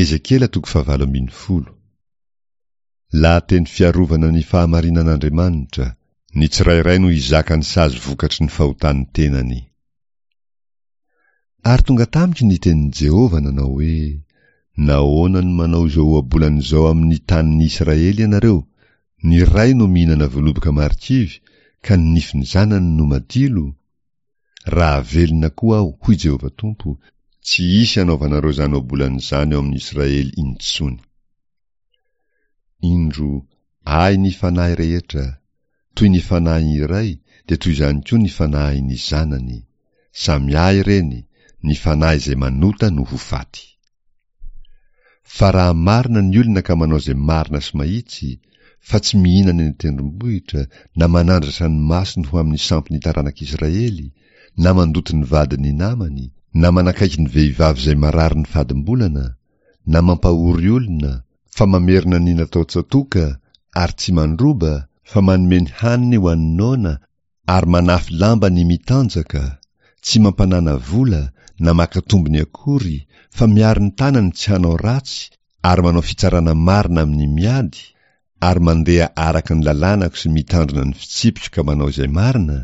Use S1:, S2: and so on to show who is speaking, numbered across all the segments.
S1: Ezekiela toko fahavalo ambin'ny folo. Lahateny fiarovana ny fahamarinan'Andriamanitra, ny tsirairay no hizaka ny sazy vokatry ny fahotan'ny tenany. Ary tonga tamiko ny tenin'i Jehovah nanao hoe, Nahoana no manao izao ohabolana izao amin'ny tanin'ny Israely ianareo, Ny ray no mihinana voaloboka marikivy, ka ny nifin'ny zanany no madilo? Raha velona koa aho, hoy Jehovah Tompo, tsy hisy hanaovanareo izany ohabolana izany ao amin'ny Israely intsony. Indro, ahy ny fanahy rehetra, toy ny fanahin'ny iray, dia toy izany koa ny fanahin'ny zanany. Samy ahy ireny, ny fanahy izay manota no ho faty. Fa raha marina ny olona ka manao izay marina sy mahitsy, fa tsy mihinana eny an-tendrombohitra, na manandratra ny masony ho amin'ny sampin'ny taranak'Israely, na mandoto ny vadin'ny namany, na manakaiky ny vehivavy izay marary ny fadimbolana, na mampahory olona, fa mamerina ny natao tsatoka, ary tsy mandroba, fa manome ny haniny ho an'ny noana, ary manafy lamba ny mitanjaka, tsy mampanana vola na maka tombony akory, fa miaro ny tanany tsy hanao ratsy ary manao fitsarana marina amin'ny miady, ary mandeha araka ny lalànako sy mitandrina ny fitsipiko ka manao izay marina,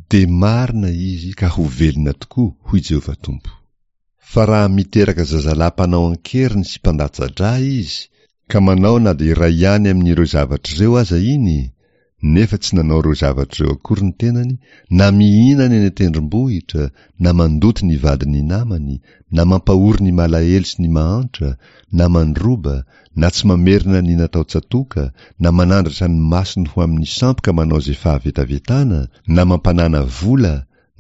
S1: dia marina izy ka ho velona tokoa, hoy Jehovah Tompo. Fa raha miteraka zazalahy mpanao an-keriny sy mpandatsa-drà izy, ka manao na dia iray ihany amin'ireo zavatra ireo aza iny, nefa tsy nanao ireo zavatra ireo akory ny tenany, na mihinana eny an-tendrombohitra, na mandoto ny vadin'ny namany, na mampahory ny malahelo sy ny mahantra, na mandroba, na tsy mamerina ny natao tsatoka, na manandratra ny masony ho amin'ny sampy ka manao izay fahavetavetana, na mampanana vola,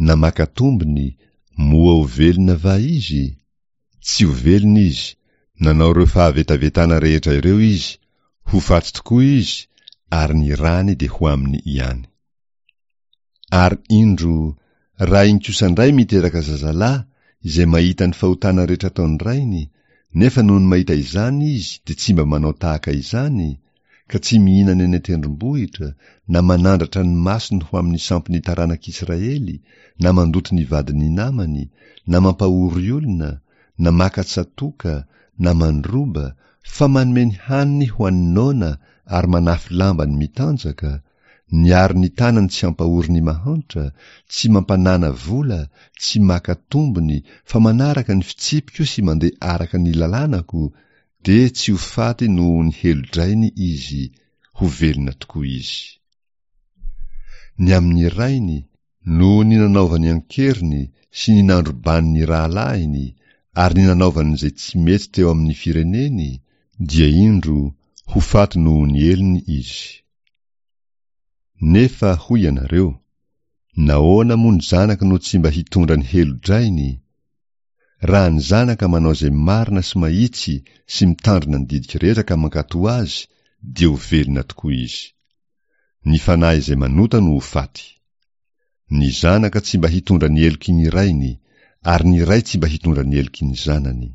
S1: na maka tombony, Moa ho velona va izy? Tsy ho velona izy, nanao ireo fahavetavetana rehetra ireo izy, ho faty tokoa izy, ary ny rany dia ho aminy ihany. Ary indro, raha iny kosa indray miteraka zazalahy, izay mahita ny fahotana rehetra ataon'ny rainy, nefa nony mahita izany izy dia tsy mba manao tahaka izany, ka tsy mihinana eny an-tendrombohitra, na manandratra ny masony ho amin'ny sampin'ny taranak'Israely, na mandoto ny vadin'ny namany, na mampahory olona, na maka tsatoka, na mandroba, fa manome ny haniny ho an'ny noana ary manafy lamba ny mitanjaka, niaro ny tanany tsy hampahory ny mahantra, tsy mampanana vola, tsy maka tombony, fa manaraka ny fitsipiko sy mandeha araka ny lalànako, Dia tsy ho faty noho ny helo-drainy izy, ho velona tokoa izy. Ny amin'ny rainy, noho ny nanaovany an-keriny sy ny nandrobany ny rahalahiny ary ny nanaovany izay tsy mety teo amin'ny fireneny, dia indro, ho faty noho ny helony izy. Nefa hoy ianareo, Nahoana moa ny zanaka no tsy mba hitondra ny helo-drainy? Raha ny zanaka manao izay marina sy mahitsy sy mitandrina ny didiko rehetra ka mankatò azy, dia ho velona tokoa izy. Ny fanahy izay manota no ho faty. Ny zanaka tsy mba hitondra ny heloky ny rainy, ary ny ray tsy mba hitondra ny heloky ny zanany.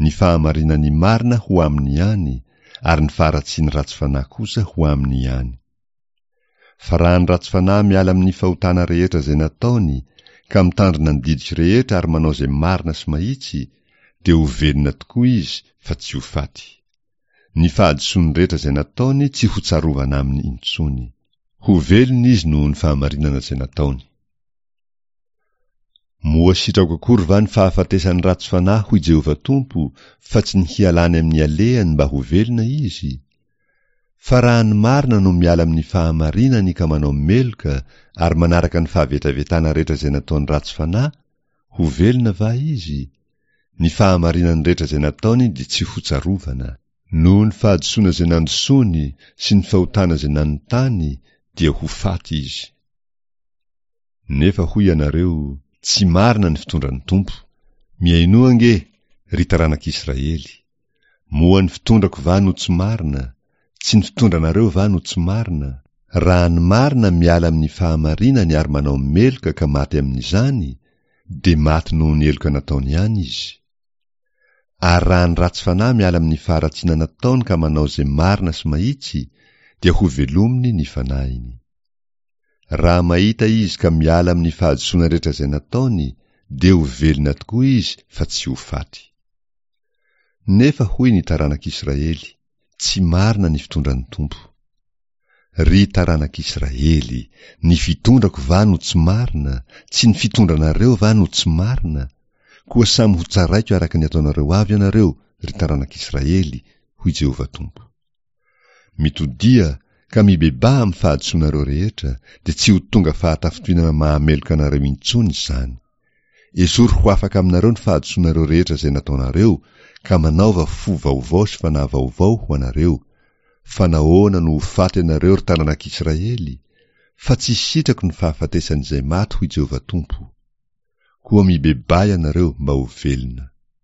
S1: Ny fahamarinan'ny marina ho aminy ihany, ary ny faharatsian'ny ratsy fanahy kosa ho aminy ihany. Fa raha ny ratsy fanahy miala amin'ny fahotana rehetra izay nataony, ka mitandrina ny didiko rehetra ary manao izay marina sy mahitsy, dia ho velona tokoa izy fa tsy ho faty. Ny fahadisoany rehetra izay nataony tsy hotsarovana aminy intsony. Ho velona izy noho ny fahamarinana izay nataony. Moa sitrako akory va ny fahafatesan'ny ratsy fanahy, hoy Jehovah Tompo, fa tsy ny hialany amin'ny alehany mba ho velona izy? Fa raha ny marina no miala amin'ny fahamarinany ka manao meloka ary manaraka ny fahavetavetana rehetra izay nataony ratsy fanahy, ho velona va izy? Ny fahamarinany rehetra izay nataony dia tsy hotsarovana. Noho ny fahadisoana izay nandrosoany sy ny fahotana izay nanontany dia ho faty izy. Nefa hoy ianareo, Tsy marina ny fitondran'ny Tompo. Mihainoa ange, ry taranak'Israely! Moa ny fitondrako va no tsy marina? Tsy ny fitondranareo va no tsy marina? Raha ny marina miala amin'ny fahamarinany ary manao meloka ka maty amin'izany, dia maty noho ny heloka nataony ihany izy. Ary raha ny ratsy fanahy miala amin'ny faharatsiana nataony ka manao izay marina sy mahitsy, dia hovelominy ny fanahiny. Raha mahita izy ka miala amin'ny fahadisoana rehetra izay nataony, dia ho velona tokoa izy fa tsy ho faty. Nefa hoy ny taranak'Israely, Tsy marina ny fitondran'ny Tompo. Ry taranak'Israely, ny fitondrako va no tsy marina, tsy ny fitondranareo va no tsy marina? Koa samy hotsaraiko araka ny ataonareo avy ianareo, ry taranak'Israely, hoy Jehovah Tompo. Mitodiha, ka mibebaha amin'ny fahadisoanareo rehetra, dia tsy ho tonga fahatafintohinana mahameloka anareo intsony izany. Esory ho afaka aminareo ny fahadisoanareo rehetra izay nataonareo, ka manaova fo vaovao sy fanahy vaovao ho anareo. Fa nahoana no ho faty ianareo, ry taranak'Israely? Fa tsy sitrako ny fahafatesan'izay maty, hoy Jehovah Tompo. Koa mibebaha ianareo mba ho velona.